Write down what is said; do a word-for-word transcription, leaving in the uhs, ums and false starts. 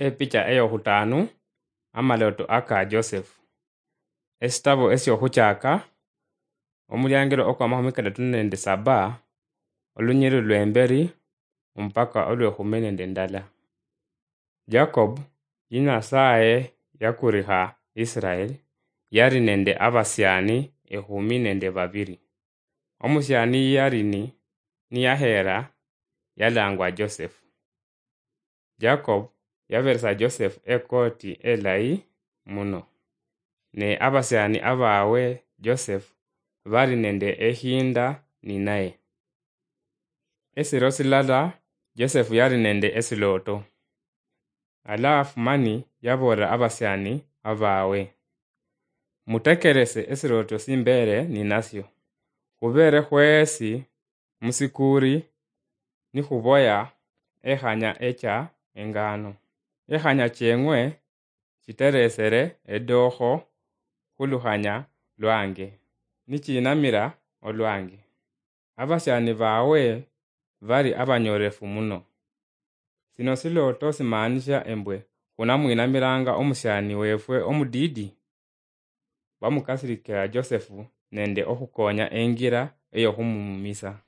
Epicha eyokhutaanu, amalooto aka Joseph. Esitabo esyokhuchaaka, omuliangilo okwamakhumi kadatu nende saba, olunyiriri lwemberi mpaka olwekhumi nende ndala. Jacob, yi Nasaye yakurikha Israel, yali nende abasiani ekhumi nende babiri. Omusiani yali ni, niyaheera yalangwa Joseph. Jacob yaberesa Joseph ekoti elayi muno, ne abasiani abawe Joseph bali nende ehinda ninaye. Esiro silala Joseph yali nende esilooto. Alafu mani yaboolera abasiani abawe, "Mutekerese esilooto simbeere ninasyo. Khubeere khweesi musikuuri nikhuboya ekhanya echa engano. Ekhanya cheng'we chiteresere edookho khulukhanya lwange, nichiinamira olwange." Abasiani bawe bali abanyoolefu muno. Sino silooto simaanisha embwe khunamwinamiranga omusiani weefwe omudiidi? Bamukasirikira Joseph nende okhukoonya engira eyokhumumumisa.